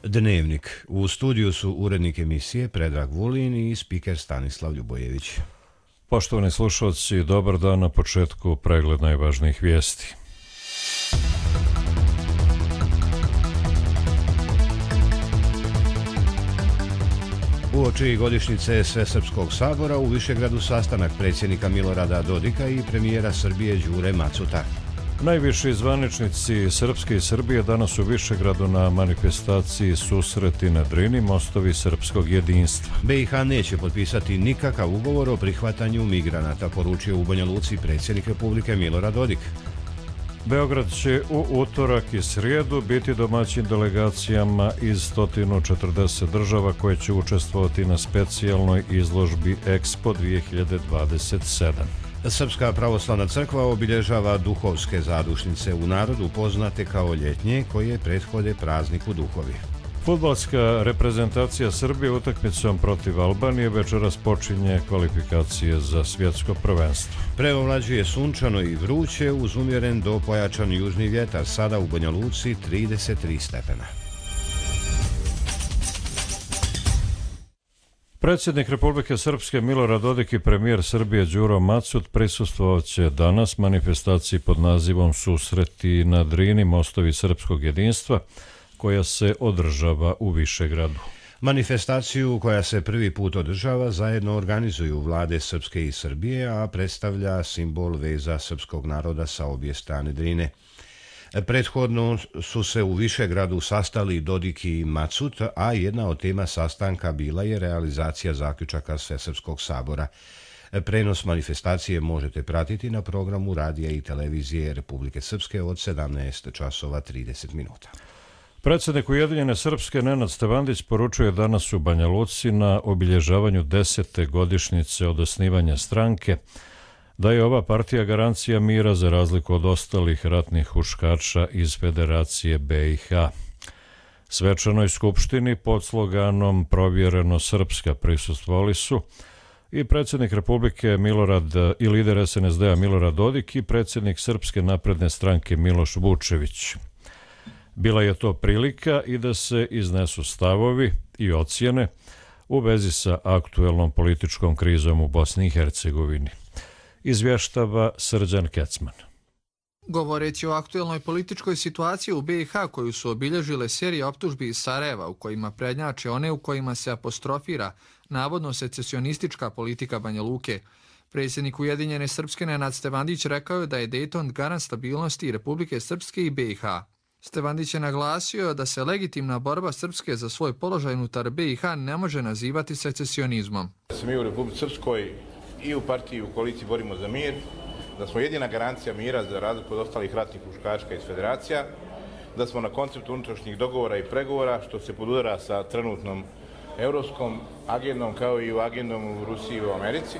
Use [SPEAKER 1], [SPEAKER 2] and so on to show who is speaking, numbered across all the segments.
[SPEAKER 1] Dnevnik. U studiju su urednik emisije Predrag Vulin i spiker Stanislav Ljubojević.
[SPEAKER 2] Poštovani slušalci, dobar dan. Na početku pregled najvažnijih vijesti.
[SPEAKER 1] Uoči godišnjice Svesrpskog sabora u Višegradu sastanak predsjednika Milorada Dodika i premijera Srbije Đure Macuta.
[SPEAKER 2] Najviši zvaničnici Srpske i Srbije danas u Višegradu na manifestaciji Susreti na Drini, mostovi srpskog jedinstva.
[SPEAKER 1] BiH neće potpisati nikakav ugovor o prihvatanju migranata, poručio u Banja Luci predsjednik Republike Milorad Dodik.
[SPEAKER 2] Beograd će u utorak i srijedu biti domaćin delegacijama iz 140 država koje će učestvovati na specijalnoj izložbi Expo 2027.
[SPEAKER 1] Srpska pravoslavna crkva obilježava duhovske zadušnice u narodu poznate kao ljetnje koje prethode prazniku duhovi.
[SPEAKER 2] Fudbalska reprezentacija Srbije utakmicom protiv Albanije večeras počinje kvalifikacije za svjetsko prvenstvo.
[SPEAKER 1] Preovlađuje sunčano i vruće uz umjeren do pojačan južni vjetar, sada u Banja Luci 33 stepena.
[SPEAKER 2] Predsjednik Republike Srpske Milorad Dodik i premijer Srbije Đuro Macut prisustvovat će danas manifestaciji pod nazivom Susreti na Drini, mostovi srpskog jedinstva, koja se održava u Višegradu.
[SPEAKER 1] Manifestaciju koja se prvi put održava zajedno organizuju vlade Srpske i Srbije, a predstavlja simbol veza srpskog naroda sa obje strane Drine. Prethodno su se u Višegradu sastali Dodik i Macut, a jedna od tema sastanka bila je realizacija zaključaka Svesrpskog sabora. Prenos manifestacije možete pratiti na programu radija i televizije Republike Srpske od 17 časova 30 minuta.
[SPEAKER 2] Predsjednik Ujedinjene Srpske Nenad Stevandić poručuje danas u Banja Luci na obilježavanju 10. godišnjice od osnivanja stranke da je ova partija garancija mira za razliku od ostalih ratnih huškača iz Federacije BiH. Svečanoj skupštini pod sloganom Provjereno Srpska prisustvovali su i predsjednik Republike i lider SNSD-a Milorad Dodik i predsjednik Srpske napredne stranke Miloš Vučević. Bila je to prilika i da se iznesu stavovi i ocjene u vezi sa aktuelnom političkom krizom u Bosni i Hercegovini. Izvještava Srđan Kecman.
[SPEAKER 3] Govoreći o aktuelnoj političkoj situaciji u BiH koju su obilježile serije optužbi iz Sarajeva u kojima prednjače one u kojima se apostrofira navodno secesionistička politika Banja Luke, predsjednik Ujedinjene Srpske Nenad Stevandić rekao je da je Dejton garant stabilnosti Republike Srpske i BiH. Stevandić je naglasio da se legitimna borba Srpske za svoj položaj unutar BiH ne može nazivati secesionizmom.
[SPEAKER 4] Da se mi u Republici Srpskoj i u partiji i u koaliciji borimo za mir, da smo jedina garancija mira za razliku od ostalih ratnih huškačka iz federacija, da smo na konceptu unutrašnjih dogovora i pregovora, što se podudara sa trenutnom evropskom agendom kao i u agendom u Rusiji i u Americi,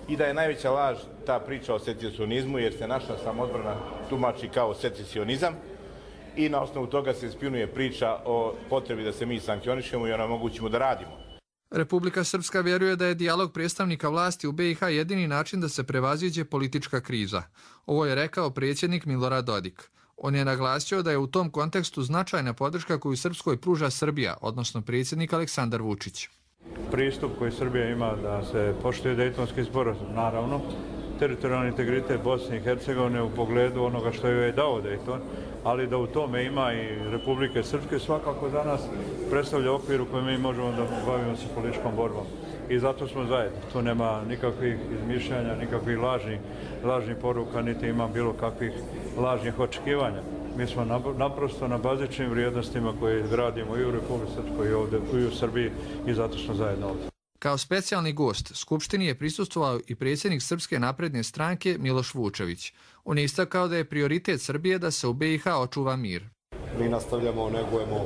[SPEAKER 4] i da je najveća laž ta priča o secesionizmu jer se naša samodbrana tumači kao secesionizam i na osnovu toga se spinuje priča o potrebi da se mi sankcionišemo i onemogućimo da radimo.
[SPEAKER 3] Republika Srpska vjeruje da je dijalog predstavnika vlasti u BiH jedini način da se prevaziđe politička kriza. Ovo je rekao predsjednik Milorad Dodik. On je naglasio da je u tom kontekstu značajna podrška koju Srpskoj pruža Srbija, odnosno predsjednik Aleksandar Vučić.
[SPEAKER 5] Pristup koji Srbija ima da se poštuje Dejtonski sporazum, naravno, teritorijalni integritet Bosne i Hercegovine u pogledu onoga što joj je dao Dejton, ali da u tome ima i Republike Srpske, svakako za nas predstavlja okvir u kojem mi možemo da bavimo se političkom borbom. I zato smo zajedno. Tu nema nikakvih izmišljanja, nikakvih lažnih poruka, niti ima bilo kakvih lažnih očekivanja. Mi smo naprosto na bazičnim vrijednostima koje gradimo i u Republike Srpskoj i ovdje i u Srbiji i zato smo zajedno ovdje.
[SPEAKER 3] Kao specijalni gost Skupštini je prisustvovao i predsjednik Srpske napredne stranke Miloš Vučević. On je istakao da je prioritet Srbije da se u BiH očuva mir.
[SPEAKER 6] Mi nastavljamo, negujemo,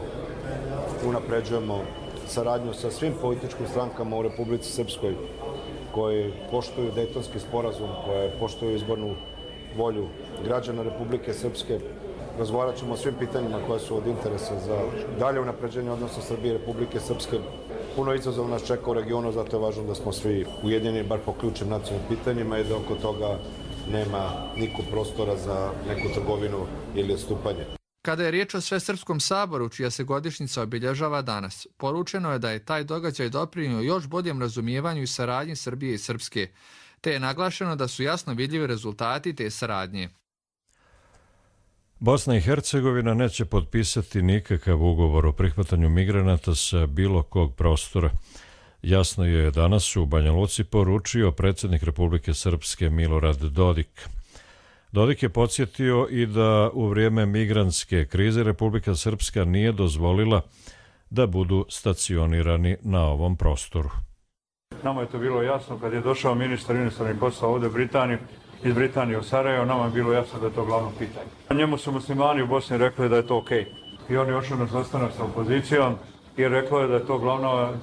[SPEAKER 6] unapređujemo saradnju sa svim političkim strankama u Republici Srpskoj koji poštuju Dejtonski sporazum, koje poštuju izbornu volju građana Republike Srpske. Razgovarat ćemo o svim pitanjima koja su od interesa za dalje unapređenje odnosa Srbije i Republike Srpske. Puno izazova nas čeka u regionu, zato je važno da smo svi ujedinjeni, bar po ključnim nacionalnim pitanjima i da oko toga nema niko prostora za neku trgovinu ili odstupanje.
[SPEAKER 3] Kada je riječ o Svesrpskom saboru, čija se godišnjica obilježava danas, poručeno je da je taj događaj doprinio još boljem razumijevanju i saradnji Srbije i Srpske, te je naglašeno da su jasno vidljivi rezultati te saradnje.
[SPEAKER 2] Bosna i Hercegovina neće potpisati nikakav ugovor o prihvatanju migranata sa bilo kog prostora. Jasno je danas u Banja Luci poručio predsjednik Republike Srpske Milorad Dodik. Dodik je podsjetio i da u vrijeme migrantske krize Republika Srpska nije dozvolila da budu stacionirani na ovom prostoru.
[SPEAKER 5] Nama je to bilo jasno kad je došao ministar inostranih poslova ovdje iz Britanije u Sarajevo, nama je bilo jasno da je to glavno pitanje. Njemu su muslimani u Bosni rekli da je to okej. I on je ošao na sastanak sa opozicijom i rekao je da je to glavna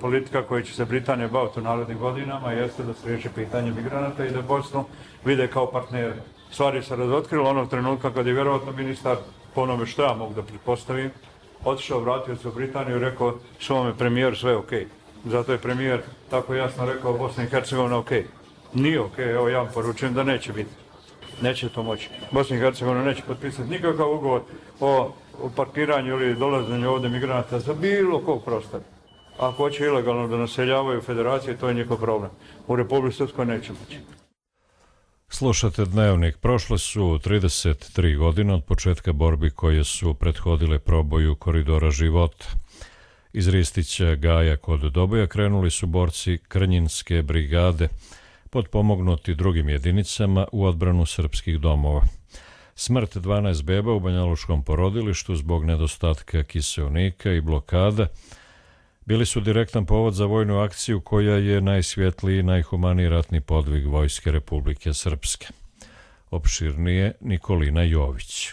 [SPEAKER 5] politika koja će se Britanija baviti u narednim godinama, jeste da se riješi pitanje migranata i da Bosnu vide kao partnere. Stvari se razotkrilo onog trenutka kad je vjerovatno ministar, po onome što ja mogu da pretpostavim, otišao, vratio se u Britaniju i rekao svome premijeru sve okej. Zato je premijer tako jasno rekao Bosna i Hercegovina okej. Nije okej, evo ja vam poručujem da neće biti. Neće to moći. Bosna i Hercegovina neće potpisati nikakav ugovor o parkiranju ili dolaženju ovdje migranata za bilo kog prostora. Ako hoće ilegalno da naseljavaju federacije, to je njihov problem. U Republici Srpskoj neće moći.
[SPEAKER 2] Slušate Dnevnik. Prošle su 33 godine od početka borbi koje su prethodile proboju Koridora života. Iz Ristića Gaja kod Doboja krenuli su borci Krnjinske brigade, potpomognuti drugim jedinicama u odbranu srpskih domova. Smrt 12 beba u banjalučkom porodilištu zbog nedostatka kiseonika i blokada bili su direktan povod za vojnu akciju koja je najsvjetliji i najhumaniji ratni podvig Vojske Republike Srpske. Opširnije Nikolina Jović.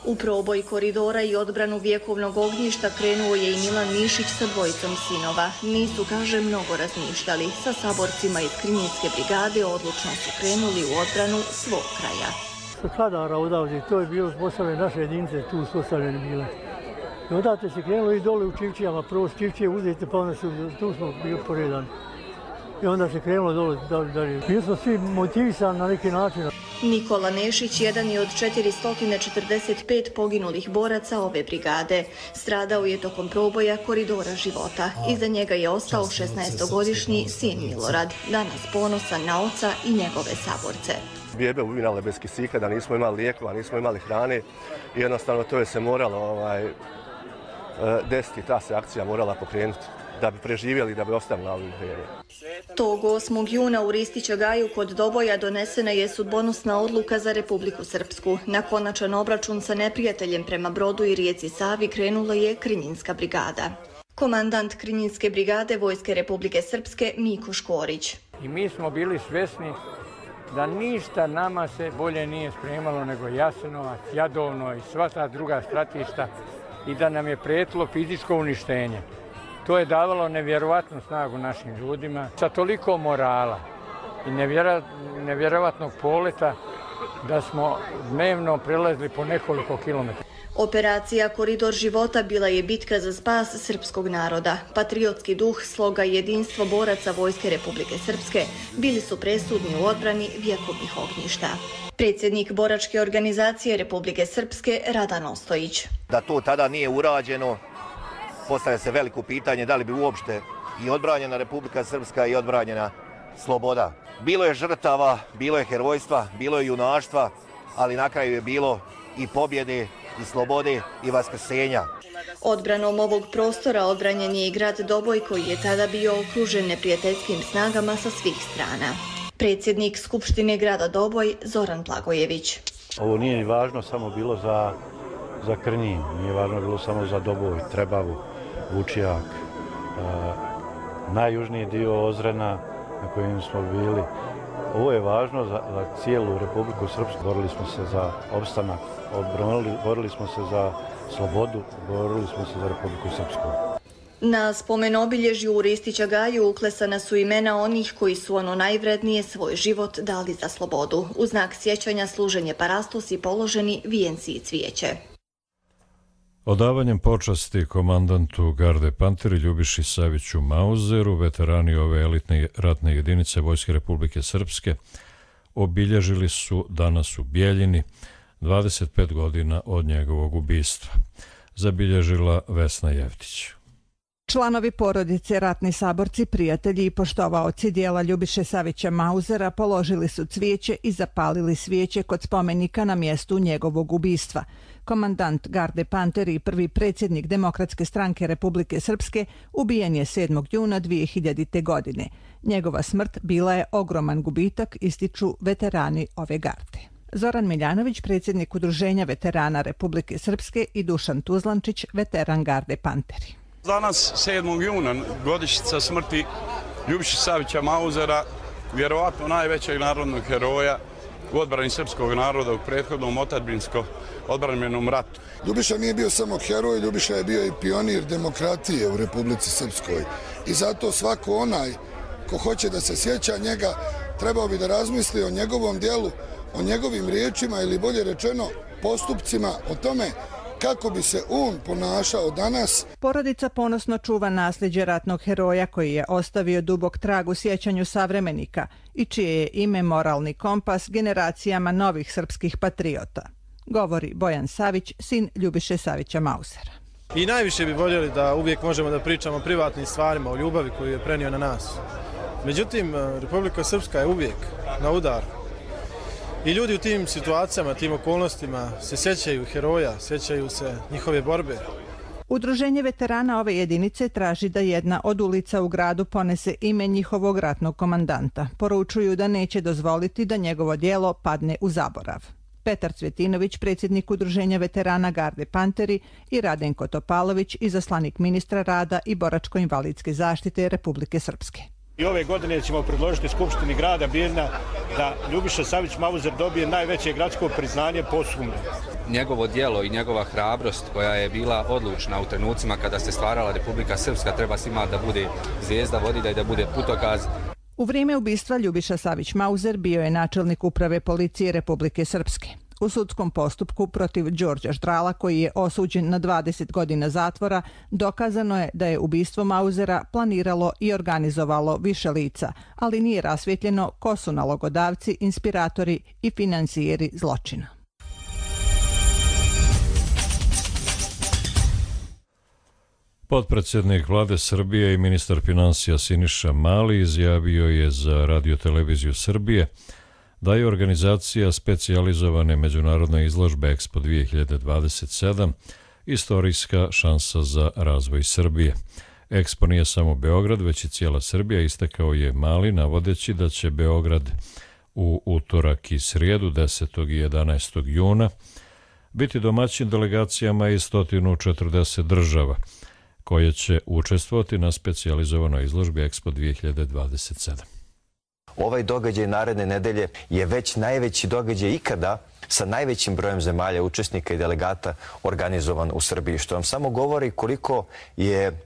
[SPEAKER 7] U proboj koridora i odbranu vjekovnog ognjišta krenuo je i Milan Mišić sa dvojicom sinova. Nisu, kaže, mnogo razmišljali. Sa saborcima iz Krnjinske brigade odlučno su krenuli u odbranu svog kraja.
[SPEAKER 8] Sa Kadara odavde, to je bilo postavljene naše jedinice, tu su ostavljene bile. I odavde se krenulo i dole u Čivčijama, prvo s Čivčije uzete pa onda tu smo bili poredani. I onda se krenulo dole dalje. Bili smo svi motivisani na neki način.
[SPEAKER 7] Nikola Nešić jedan je od 445 poginulih boraca ove brigade. Stradao je tokom proboja Koridora života. Iza njega je ostao 16-godišnji sin Milorad, danas ponosan na oca i njegove saborce.
[SPEAKER 9] Bebe umirale bez kisika, da nismo imali lijekova, nismo imali hrane i jednostavno to je se moralo desiti, ta se akcija morala pokrenuti da bi preživjeli, da bi ostali na ovim terenu.
[SPEAKER 7] Tog 8. juna u Ristića Gaju kod Doboja donesena je sudbonosna odluka za Republiku Srpsku. Na konačan obračun sa neprijateljem prema Brodu i rijeci Savi krenula je Krnjinska brigada. Komandant Krnjinske brigade Vojske Republike Srpske Miko Škorić.
[SPEAKER 10] I mi smo bili svjesni da ništa nama se bolje nije spremalo nego Jasenovac, Jadovno i sva ta druga stratišta i da nam je prijetilo fizičko uništenje. To je davalo nevjerovatnu snagu našim ljudima, sa toliko morala i nevjerovatnog poleta da smo dnevno prelazili po nekoliko kilometara.
[SPEAKER 7] Operacija Koridor života bila je bitka za spas srpskog naroda. Patriotski duh, sloga i jedinstvo boraca Vojske Republike Srpske bili su presudni u odbrani vjekovnih ognjišta. Predsjednik boračke organizacije Republike Srpske Radan Ostojić.
[SPEAKER 11] Da to tada nije urađeno, postavlja se veliko pitanje da li bi uopšte i odbranjena Republika Srpska i odbranjena sloboda. Bilo je žrtava, bilo je herojstva, bilo je junaštva, ali na kraju je bilo i pobjede, i slobode, i vaskrsenja.
[SPEAKER 7] Odbranom ovog prostora odbranjen je i grad Doboj koji je tada bio okružen neprijateljskim snagama sa svih strana. Predsjednik Skupštine grada Doboj Zoran Blagojević.
[SPEAKER 12] Ovo nije ni važno samo bilo za Krnjin, nije važno bilo samo za Doboj, Trebavu, Vučijak, najjužniji dio Ozrena na kojem smo bili. Ovo je važno za cijelu Republiku Srpsku. Borili smo se za opstanak, borili smo se za slobodu, borili smo se za Republiku Srpsku.
[SPEAKER 7] Na spomen obilježju u Ristića Gaju uklesana su imena onih koji su ono najvrednije svoj život dali za slobodu. U znak sjećanja služen je parastos i položeni vijenci i cvijeće.
[SPEAKER 2] Odavanjem počasti komandantu Garde Panteri Ljubiši Saviću Mauzeru, veterani ove elitne ratne jedinice Vojske Republike Srpske obilježili su danas u Bijeljini 25 godina od njegovog ubistva, zabilježila Vesna Jevtić.
[SPEAKER 13] Članovi porodice, ratni saborci, prijatelji i poštovaoci dijela Ljubiše Savića Mauzera položili su cvijeće i zapalili svijeće kod spomenika na mjestu njegovog ubistva. Komandant Garde Panteri i prvi predsjednik Demokratske stranke Republike Srpske ubijen je 7. juna 2000. godine. Njegova smrt bila je ogroman gubitak, ističu veterani ove garde. Zoran Miljanović, predsjednik Udruženja veterana Republike Srpske, i Dušan Tuzlančić, veteran Garde Panteri.
[SPEAKER 14] Danas, 7. juna, godišnjica smrti Ljubiše Savića Mauzera, vjerovatno najvećeg narodnog heroja u odbrani srpskog naroda u prethodnom otadžbinsko-odbrambenom ratu.
[SPEAKER 15] Ljubiša nije bio samo heroj, Ljubiša je bio i pionir demokratije u Republici Srpskoj. I zato svako onaj ko hoće da se sjeća njega, trebao bi da razmisli o njegovom dijelu, o njegovim riječima ili bolje rečeno postupcima, o tome kako bi se on ponašao danas.
[SPEAKER 13] Porodica ponosno čuva nasljeđe ratnog heroja koji je ostavio dubok trag u sjećanju savremenika i čije je ime moralni kompas generacijama novih srpskih patriota, govori Bojan Savić, sin Ljubiše Savića Mauzera.
[SPEAKER 16] I najviše bi voljeli da uvijek možemo da pričamo o privatnim stvarima, o ljubavi koju je prenio na nas. Međutim, Republika Srpska je uvijek na udaru. I ljudi u tim situacijama, tim okolnostima se sjećaju heroja, sjećaju se njihove borbe.
[SPEAKER 13] Udruženje veterana ove jedinice traži da jedna od ulica u gradu ponese ime njihovog ratnog komandanta. Poručuju da neće dozvoliti da njegovo djelo padne u zaborav. Petar Cvjetinović, predsjednik Udruženja veterana Garde Panteri, i Radenko Topalović, izaslanik ministra rada i boračko-invalidske zaštite Republike Srpske.
[SPEAKER 17] I ove godine ćemo predložiti Skupštini grada Birna da Ljubiša Savić Mauzer dobije najveće gradsko priznanje posthumno.
[SPEAKER 18] Njegovo djelo i njegova hrabrost koja je bila odlučna u trenucima kada se stvarala Republika Srpska treba svima da bude zvijezda vodilja i da bude putokaz.
[SPEAKER 13] U vrijeme ubistva Ljubiša Savić Mauzer bio je načelnik uprave policije Republike Srpske. U sudskom postupku protiv Đorđa Ždrala, koji je osuđen na 20 godina zatvora, dokazano je da je ubistvo Mauzera planiralo i organizovalo više lica, ali nije rasvjetljeno ko su nalogodavci, inspiratori i financijeri zločina.
[SPEAKER 2] Potpredsjednik vlade Srbije i ministar financija Siniša Mali izjavio je za Radio-televiziju Srbije da je organizacija specijalizovane međunarodne izložbe Expo 2027 istorijska šansa za razvoj Srbije. Expo nije samo Beograd, već i cijela Srbija, istakao je Mali, navodeći da će Beograd u utorak i srijedu 10. i 11. juna biti domaćin delegacijama iz 140 država, koje će učestvovati na specijalizovanoj izložbi Expo 2027.
[SPEAKER 19] Ovaj događaj naredne nedelje je već najveći događaj ikada sa najvećim brojem zemalja, učesnika i delegata organizovan u Srbiji, što vam samo govori koliko je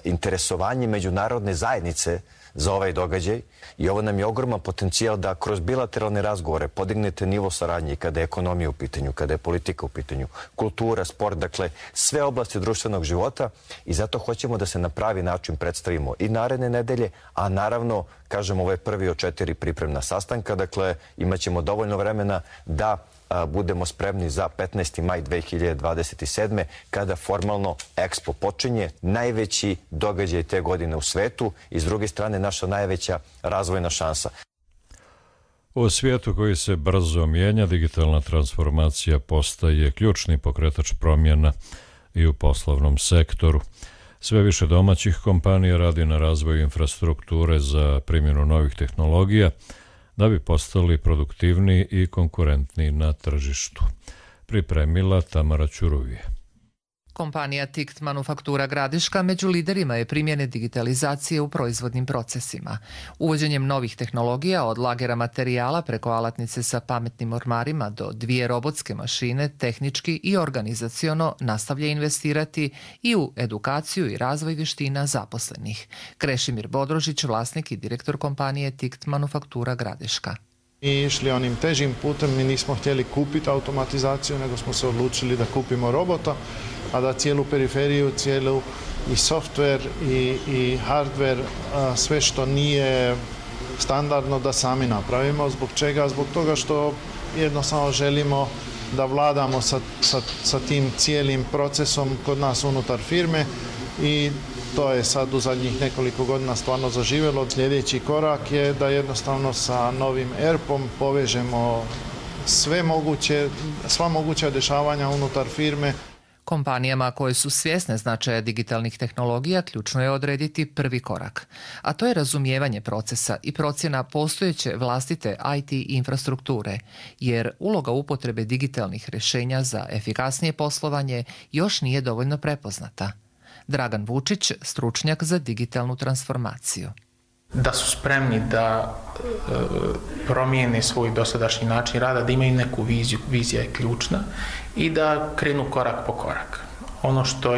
[SPEAKER 19] interesovanje međunarodne zajednice za ovaj događaj i ovo nam je ogroman potencijal da kroz bilateralne razgovore podignete nivo saradnje kada je ekonomija u pitanju, kada je politika u pitanju, kultura, sport, dakle sve oblasti društvenog života i zato hoćemo da se na pravi način predstavimo i naredne nedelje, a naravno, kažem, ovo je prvi od 4 pripremna sastanka, dakle imat ćemo dovoljno vremena da budemo spremni za 15. maj 2027. kada formalno Expo počinje, najveći događaj te godine u svetu i s druge strane naša najveća razvojna šansa.
[SPEAKER 2] U svijetu koji se brzo mijenja, digitalna transformacija postaje ključni pokretač promjena i u poslovnom sektoru. Sve više domaćih kompanija radi na razvoju infrastrukture za primjenu novih tehnologija da bi postali produktivniji i konkurentniji na tržištu. Pripremila Tamara Ćuruvije.
[SPEAKER 20] Kompanija TICT Manufaktura Gradiška među liderima je primjene digitalizacije u proizvodnim procesima. Uvođenjem novih tehnologija od lagera materijala preko alatnice sa pametnim ormarima do 2 robotske mašine tehnički i organizaciono nastavlja investirati i u edukaciju i razvoj vještina zaposlenih. Krešimir Bodrožić, vlasnik i direktor kompanije TICT Manufaktura Gradiška.
[SPEAKER 21] Mi išli onim težim putem, mi nismo htjeli kupiti automatizaciju, nego smo se odlučili da kupimo robota, a da cijelu periferiju, cijelu i software i hardware, sve što nije standardno da sami napravimo. Zbog čega? Zbog toga što jednostavno želimo da vladamo sa tim cijelim procesom kod nas unutar firme i to je sad u zadnjih nekoliko godina stvarno zaživjelo. Sljedeći korak je da jednostavno sa novim ERP-om povežemo sva moguća dešavanja unutar firme.
[SPEAKER 20] Kompanijama koje su svjesne značaja digitalnih tehnologija ključno je odrediti prvi korak, a to je razumijevanje procesa i procjena postojeće vlastite IT infrastrukture, jer uloga upotrebe digitalnih rješenja za efikasnije poslovanje još nije dovoljno prepoznata. Dragan Vučić, stručnjak za digitalnu transformaciju.
[SPEAKER 1] Da su spremni da promijene svoj dosadašnji način rada, da imaju neku viziju, vizija je ključna i da krenu korak po korak. Ono što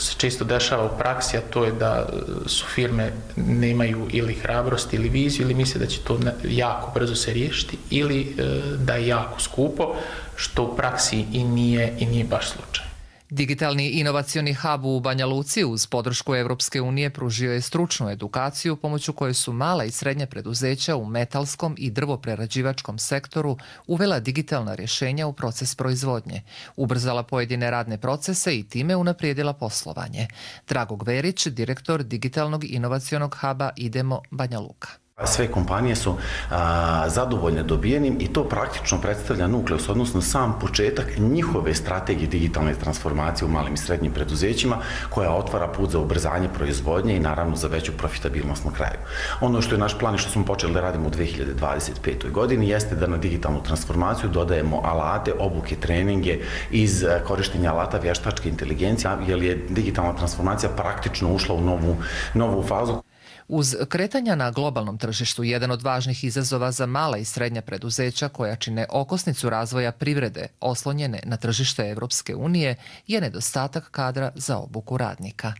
[SPEAKER 1] se često dešava u praksi, a to je da su firme nemaju ili hrabrost ili viziju ili misle da će to jako brzo se riješiti ili da je jako skupo, što u praksi i nije baš slučaj.
[SPEAKER 20] Digitalni inovacioni hub u Banja Luci uz podršku Europske unije pružio je stručnu edukaciju pomoću koje su mala i srednja preduzeća u metalskom i drvoprerađivačkom sektoru uvela digitalna rješenja u proces proizvodnje, ubrzala pojedine radne procese i time unaprijedila poslovanje. Drago Gverić, direktor digitalnog inovacionog huba Idemo Banja Luka.
[SPEAKER 22] Sve kompanije su zadovoljne dobijenim i to praktično predstavlja nukleus, odnosno sam početak njihove strategije digitalne transformacije u malim i srednjim preduzećima koja otvara put za ubrzanje proizvodnje i naravno za veću profitabilnost na kraju. Ono što je naš plan i što smo počeli da radimo u 2025. godini jeste da na digitalnu transformaciju dodajemo alate, obuke, treninge iz korištenja alata vještačke inteligencije, jer je digitalna transformacija praktično ušla u novu fazu.
[SPEAKER 20] Uz kretanja na globalnom tržištu, jedan od važnih izazova za mala i srednja preduzeća koja čine okosnicu razvoja privrede oslonjene na tržište Europske unije je nedostatak kadra za obuku radnika.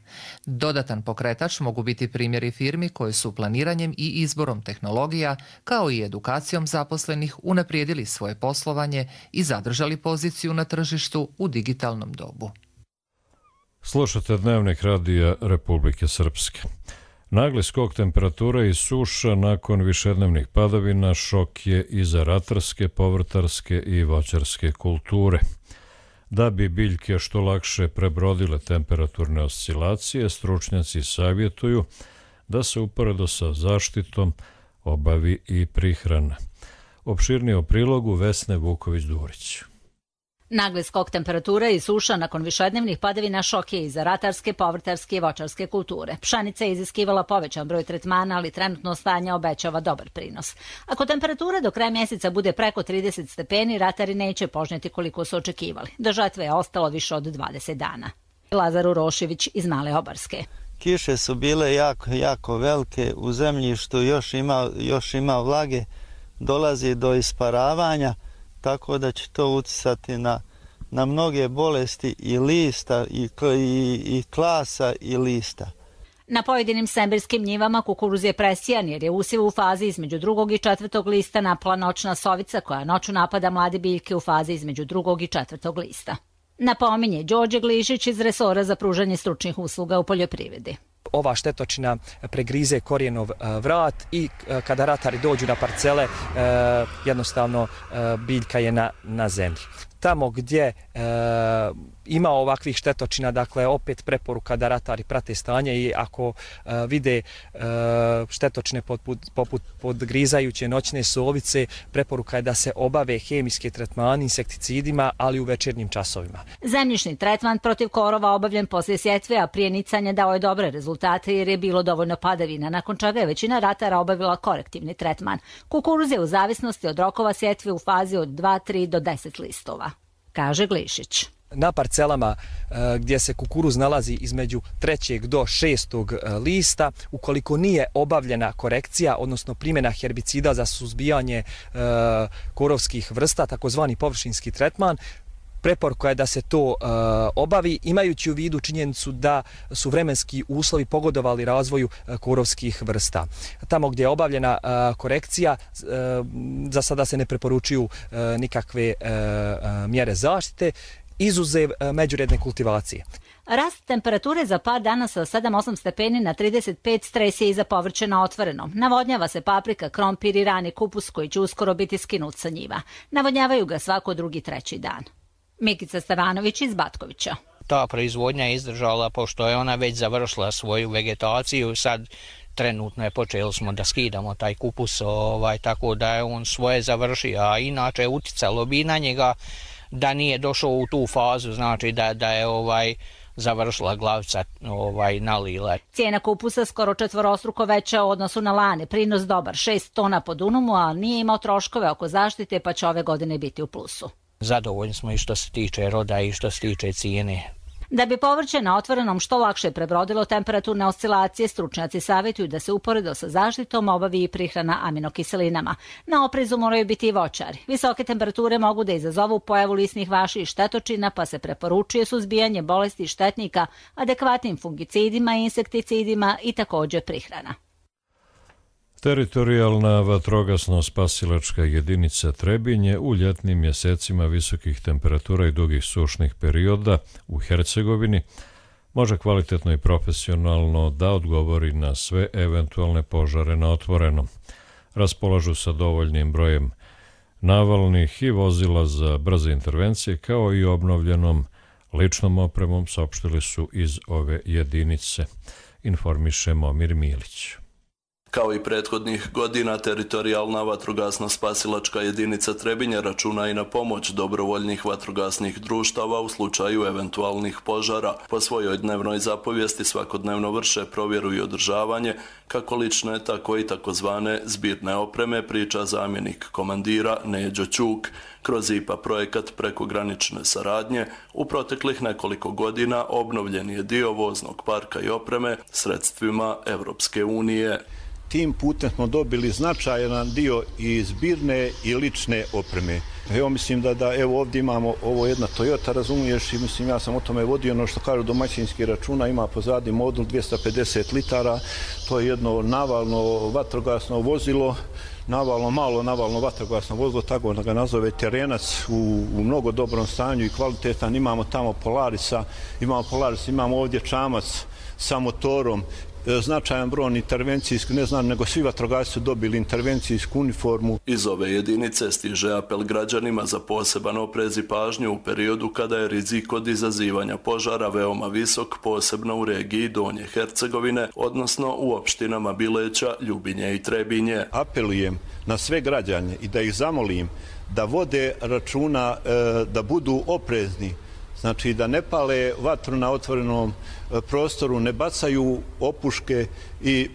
[SPEAKER 20] Dodatan pokretač mogu biti primjeri firmi koje su planiranjem i izborom tehnologija kao i edukacijom zaposlenih unaprijedili svoje poslovanje i zadržali poziciju na tržištu u digitalnom dobu.
[SPEAKER 2] Slušate Dnevnik radija Republike Srpske. Nagli skok temperature i suša nakon višednevnih padavina šok je i za ratarske, povrtarske i voćarske kulture. Da bi biljke što lakše prebrodile temperaturne oscilacije, stručnjaci savjetuju da se uporedo sa zaštitom obavi i prihrana. Opširnije o prilogu Vesne Vuković-Durić.
[SPEAKER 23] Nagli skok temperature i suša nakon višednevnih padavina šok je i za ratarske, povrtarske i voćarske kulture. Pšenica je iziskivala povećan broj tretmana, ali trenutno stanje obećava dobar prinos. Ako temperatura do kraja mjeseca bude preko 30 stepeni, ratari neće požnjeti koliko su očekivali. Do žetve je ostalo više od 20 dana. Lazar Urošević iz Male Obarske.
[SPEAKER 24] Kiše su bile jako velike, u zemljištu još ima vlage, dolazi do isparavanja, tako da će to uticati na mnoge bolesti i lista i klasa i lista.
[SPEAKER 23] Na pojedinim sembirskim njivama kukuruz je presijan jer je usjev u fazi između 2. i 4. lista napala noćna sovica koja noću napada mlade biljke u fazi između 2. i 4. lista. Napominje Đorđe Glišić iz resora za pružanje stručnih usluga u poljoprivredi.
[SPEAKER 25] Ova štetočina pregrize korijenov vrat i kada ratari dođu na parcele, jednostavno biljka je na zemlji. Tamo gdje ima ovakvih štetočina, dakle opet preporuka da ratari prate stanje i ako vide štetočine poput podgrizajuće noćne sovice, preporuka je da se obave hemijske tretmani insekticidima, ali u večernjim časovima.
[SPEAKER 23] Zemljišni tretman protiv korova obavljen poslije sjetve, a prije nicanja dao je dobre rezultate jer je bilo dovoljno padavina, nakon čega je većina ratara obavila korektivni tretman. Kukuruz je u zavisnosti od rokova sjetve u fazi od 2, 3 do 10 listova, kaže Glišić.
[SPEAKER 25] Na parcelama gdje se kukuruz nalazi između 3. do 6. lista, ukoliko nije obavljena korekcija, odnosno primjena herbicida za suzbijanje korovskih vrsta, takozvani površinski tretman, preporuka je da se to obavi, imajući u vidu činjenicu da su vremenski uslovi pogodovali razvoju korovskih vrsta. Tamo gdje je obavljena korekcija, za sada se ne preporučuju nikakve mjere zaštite, izuzev međuredne kultivacije.
[SPEAKER 23] Rast temperature za par dana sa 7-8 stepeni na 35 stres je i za povrće na otvorenom. Navodnjava se paprika, krompir i rani kupus koji će uskoro biti skinut sa njiva. Navodnjavaju ga svako drugi, treći dan. Mikica Stevanović iz Batkovića.
[SPEAKER 3] Ta proizvodnja je izdržala pošto je ona već završila svoju vegetaciju. Sad trenutno je počeli smo da skidamo taj kupus, tako da je on svoje završio, a inače uticalo bi na njega da nije došao u tu fazu, znači da je završila glavica nalila.
[SPEAKER 23] Cijena kupusa skoro četvorostruko veća u odnosu na lani, prinos dobar, 6 tona po dunumu, a nije imao troškove oko zaštite pa će ove godine biti u plusu.
[SPEAKER 3] Zadovoljni smo i što se tiče roda i što se tiče cijene.
[SPEAKER 23] Da bi povrće na otvorenom što lakše prebrodilo temperaturne oscilacije, stručnjaci savjetuju da se uporedo sa zaštitom obavi i prihrana aminokiselinama. Na oprezu moraju biti i voćari. Visoke temperature mogu da izazovu pojavu lisnih vaši i štetočina, pa se preporučuje suzbijanje bolesti štetnika adekvatnim fungicidima i insekticidima i također prihrana.
[SPEAKER 2] Teritorijalna vatrogasno-spasilačka jedinica Trebinje u ljetnim mjesecima visokih temperatura i dugih sušnih perioda u Hercegovini može kvalitetno i profesionalno da odgovori na sve eventualne požare na otvorenom. Raspolažu sa dovoljnim brojem navalnih i vozila za brze intervencije kao i obnovljenom ličnom opremom, saopštili su iz ove jedinice, informiše Momir Milić.
[SPEAKER 4] Kao i prethodnih godina, teritorijalna vatrogasno-spasilačka jedinica Trebinje računa i na pomoć dobrovoljnih vatrogasnih društava u slučaju eventualnih požara. Po svojoj dnevnoj zapovijesti svakodnevno vrše provjeru i održavanje kako lične, tako i takozvane zbirne opreme, priča zamjenik komandira Neđo Ćuk. Kroz IPA projekat prekogranične saradnje u proteklih nekoliko godina obnovljen je dio voznog parka i opreme sredstvima Evropske unije.
[SPEAKER 17] Tim putem smo dobili značajan dio i zbirne i lične opreme. Evo mislim da evo ovdje imamo ovo jedna Toyota, razumiješ, i mislim ja sam o tome vodio, ono što kažu domaćinski računa, ima pozadi modul 250 litara, to je jedno navalno vatrogasno vozilo, malo navalno vatrogasno vozilo, tako da ga nazove terenac, u mnogo dobrom stanju i kvalitetan. Imamo tamo Polarisa, imamo ovdje čamac sa motorom, značajan broj intervencijski, ne znam, nego svi vatrogasci su dobili intervencijsku uniformu.
[SPEAKER 4] Iz ove jedinice stiže apel građanima za poseban oprez i pažnju u periodu kada je rizik od izazivanja požara veoma visok, posebno u regiji Donje Hercegovine, odnosno u opštinama Bileća, Ljubinje i Trebinje.
[SPEAKER 17] Apelujem na sve građane i da ih zamolim da vode računa, da budu oprezni. Znači da ne pale vatru na otvorenom prostoru, ne bacaju opuške i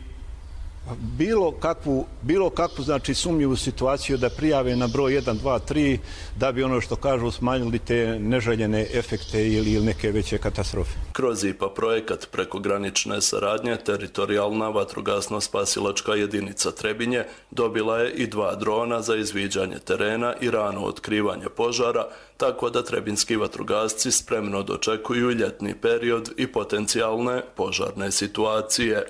[SPEAKER 17] bilo kakvu znači sumnjivu situaciju da prijave na broj 1, 2, 3 da bi ono što kažu smanjili te neželjene efekte ili neke veće katastrofe.
[SPEAKER 4] Kroz IPA projekat prekogranične saradnje teritorijalna vatrogasno-spasilačka jedinica Trebinje dobila je i 2 drona za izviđanje terena i rano otkrivanje požara, tako da trebinski vatrogasci spremno dočekuju ljetni period i potencijalne požarne situacije.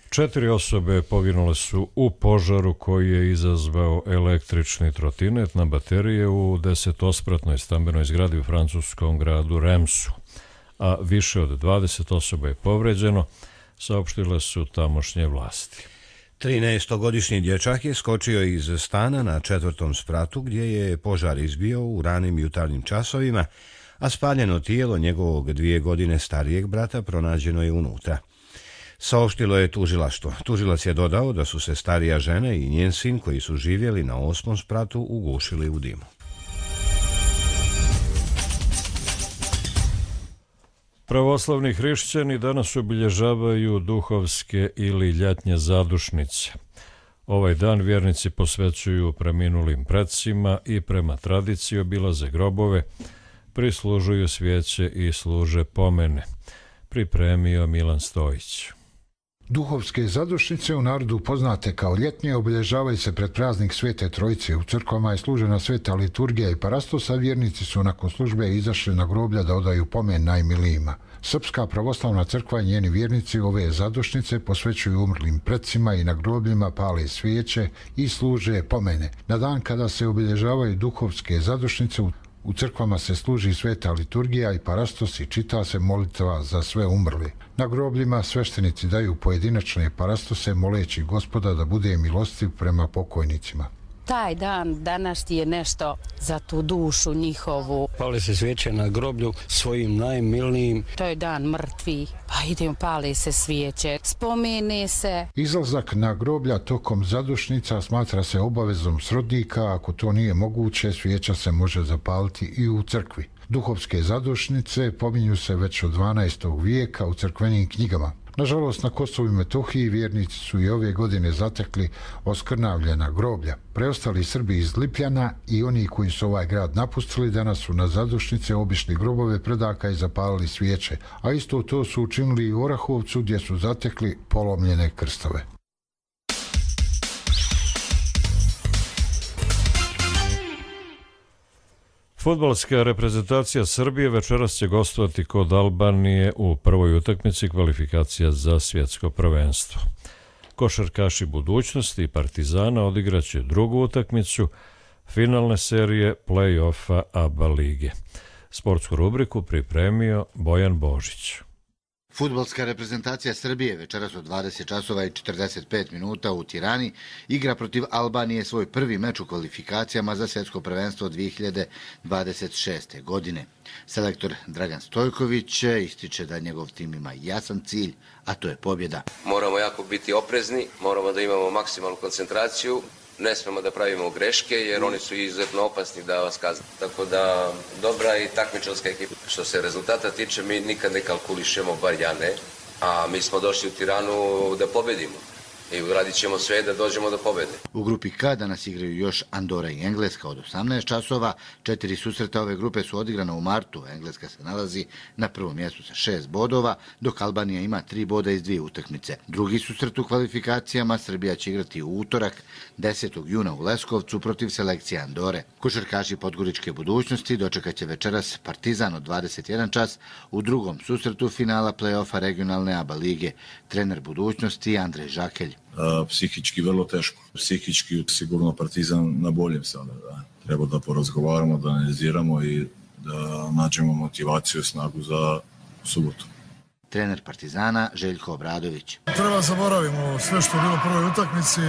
[SPEAKER 2] 4 osobe poginule su u požaru koji je izazvao električni trotinet na baterije u 10-spratnoj stambenoj zgradi u francuskom gradu Remsu, a više od 20 osoba je povređeno, saopštile su tamošnje vlasti.
[SPEAKER 5] 13-godišnji dječak je skočio iz stana na 4. spratu gdje je požar izbio u ranim jutarnjim časovima, a spaljeno tijelo njegovog 2 godine starijeg brata pronađeno je unutra. Saopštilo je tužilaštvo. Tužilac je dodao da su se starija žena i njen sin koji su živjeli na 8. spratu ugušili u dimu.
[SPEAKER 2] Pravoslavni hrišćani danas obilježavaju duhovske ili ljetnje zadušnice. Ovaj dan vjernici posvećuju preminulim precima i prema tradiciji obilaze grobove, prislužuju svijeće i služe pomene. Pripremio Milan Stojić.
[SPEAKER 6] Duhovske zadušnice, u narodu poznate kao ljetnje, obilježavaju se pred praznik Svete Trojice. U crkvama je služena sveta liturgija i parastosa, vjernici su nakon službe izašli na groblja da odaju pomen najmilijima. Srpska pravoslavna crkva i njeni vjernici ove zadušnice posvećuju umrlim precima i na grobljima pale svijeće i služe pomene. Na dan kada se obilježavaju duhovske zadušnice, U crkvama se služi sveta liturgija i parastos i čita se molitva za sve umrli. Na grobljima sveštenici daju pojedinačne parastose moleći Gospoda da bude milostiv prema pokojnicima.
[SPEAKER 8] Taj dan danas je nešto za tu dušu njihovu.
[SPEAKER 9] Pali se svijeće na groblju svojim najmilnijim.
[SPEAKER 8] To je dan mrtvi, pa idemo pali se svijeće, spomene se.
[SPEAKER 6] Izlazak na groblja tokom zadušnica smatra se obavezom srodnika, ako to nije moguće, svijeća se može zapaliti i u crkvi. Duhovske zadušnice pominju se već od 12. vijeka u crkvenim knjigama. Nažalost, na Kosovu i Metohiji vjernici su i ove godine zatekli oskrnavljena groblja. Preostali Srbi iz Lipljana i oni koji su ovaj grad napustili danas su na zadušnice obišli grobove predaka i zapalili svijeće, a isto to su učinili i u Orahovcu gdje su zatekli polomljene krstove.
[SPEAKER 2] Fudbalska reprezentacija Srbije večeras će gostovati kod Albanije u prvoj utakmici kvalifikacija za svjetsko prvenstvo. Košarkaši budućnosti i Partizana odigraće drugu utakmicu finalne serije play-offa ABA lige. Sportsku rubriku pripremio Bojan Božić.
[SPEAKER 10] Fudbalska reprezentacija Srbije večeras od 20 časova i 45 minuta u Tirani igra protiv Albanije svoj prvi meč u kvalifikacijama za svjetsko prvenstvo 2026. godine. Selektor Dragan Stojković ističe da njegov tim ima jasan cilj, a to je pobjeda.
[SPEAKER 11] Moramo jako biti oprezni, moramo da imamo maksimalnu koncentraciju, ne smemo da pravimo greške jer oni su izuzetno opasni da vas kazne. Tako da dobra i takmičarska ekipa. Što se rezultata tiče, mi nikad ne kalkulišemo, bar ja ne, a mi smo došli u Tiranu da pobedimo i uradit ćemo sve da dođemo do pobjede.
[SPEAKER 10] U grupi K danas igraju još Andora i Engleska od 18 časova. 4 susreta ove grupe su odigrana u martu. Engleska se nalazi na prvom mjestu sa 6 bodova, dok Albanija ima 3 boda iz 2 utakmice. Drugi susret u kvalifikacijama Srbija će igrati u utorak 10. juna u Leskovcu protiv selekcije Andore. Košarkaši Podgoričke budućnosti dočekat će večeras Partizan od 21 čas u drugom susretu finala play-offa regionalne ABA lige. Trener budućnosti Andrej Žakelj.
[SPEAKER 12] Psihički vrlo teško. Psihički sigurno Partizan na boljem sada. Da. Treba da porazgovaramo, da analiziramo i da nađemo motivaciju i snagu za subotu.
[SPEAKER 10] Trener Partizana Željko Obradović.
[SPEAKER 26] Treba zaboravimo sve što je bilo u prvoj utakmici.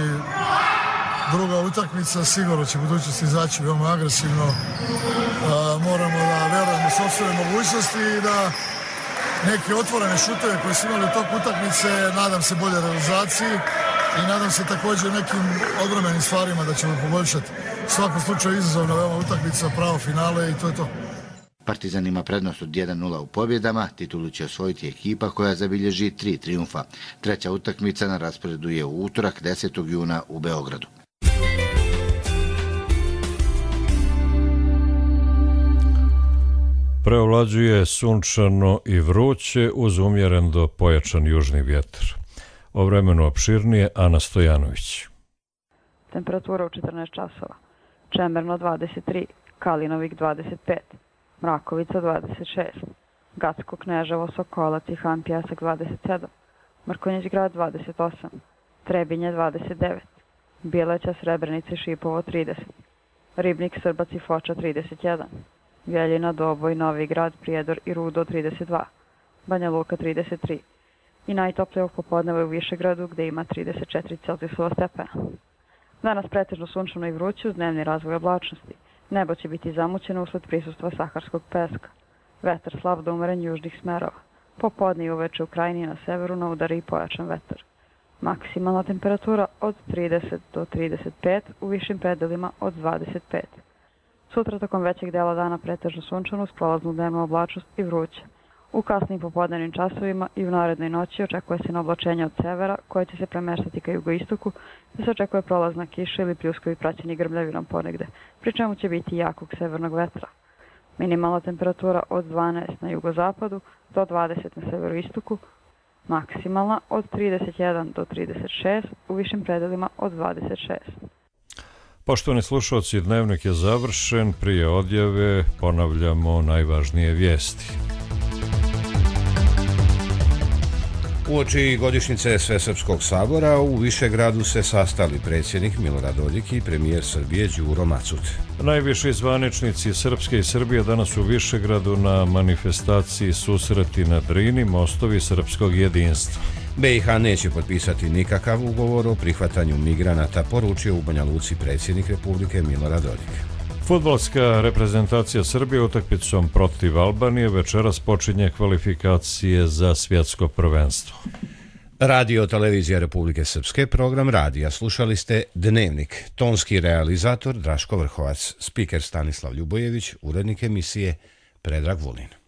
[SPEAKER 26] Druga utakmica sigurno će budućnosti izaći veoma agresivno. Moramo da vjerujemo u sopstvene mogućnosti i da neke otvorene šuteve koje su imali u toku utakmice, nadam se bolje realizaciji i nadam se također nekim odbrambenim stvarima da ćemo poboljšati. U svakom slučaju izazovna veoma utakmica, pravo finale i to je to.
[SPEAKER 10] Partizan ima prednost od 1-0 u pobjedama, titulu će osvojiti ekipa koja zabilježi 3 trijumfa. Treća utakmica na rasporedu je u utorak 10. juna u Beogradu.
[SPEAKER 2] Preovlađuje sunčano i vruće uz umjeren do pojačan južni vjetar. O vremenu opširnije Ana Stojanović.
[SPEAKER 27] Temperatura u 14 časova. Čemerno 23, Kalinovik 25, Mrakovica 26, Gacko, Kneževo, Sokolac i Han Pjesak 27, Mrkonjić grad 28, Trebinje 29, Bileća, Srebrenica i Šipovo 30, Ribnik, Srbac i Foča 31, Vjeljina, Doboj, Novi Grad, Prijedor i Rudo 32, Banja Luka 33 i najtoplije popodne u Višegradu gdje ima 34 Celzijusova stepena. Danas pretežno sunčano i vruće uz dnevni razvoj oblačnosti. Nebo će biti zamućeno usled prisustva saharskog peska. Vetar slab do umeren južnih smerova. Popodne i uveče u krajini na severu na udari i pojačan vetar. Maksimalna temperatura od 30 do 35, u višim predelima od 25. Sutra tokom većeg dela dana pretežno sunčano uz prolaznu dnevnu oblačnost i vruće. U kasnim popodnevnim časovima i u narednoj noći očekuje se na oblačenje od severa koje će se premeštati ka jugoistoku, da se očekuje prolazna kiša ili pljuskovi praćeni grmljavinom ponegde, pri čemu će biti jakog severnog vetra. Minimalna temperatura od 12 na jugozapadu do 20 na severoistoku, maksimalna od 31 do 36, u višim predelima od 26.
[SPEAKER 2] Poštovani slušalci, dnevnik je završen. Prije odjave ponavljamo najvažnije vijesti.
[SPEAKER 5] Uoči godišnjice Svesrpskog sabora u Višegradu se sastali predsjednik Milorad Dodik i premijer Srbije Đuro Macut.
[SPEAKER 2] Najviši zvaničnici Srpske i Srbije danas u Višegradu na manifestaciji Susreti na Drini, mostovi srpskog jedinstva.
[SPEAKER 5] BiH neće potpisati nikakav ugovor o prihvatanju migranata, poručio u Banja Luci predsjednik Republike Milorad Dodik.
[SPEAKER 2] Fudbalska reprezentacija Srbije utakmicom protiv Albanije večeras počinje kvalifikacije za svjetsko prvenstvo.
[SPEAKER 5] Radio televizija Republike Srpske, program radija. Slušali ste Dnevnik. Tonski realizator Draško Vrhovac, spiker Stanislav Ljubojević, urednik emisije Predrag Vulin.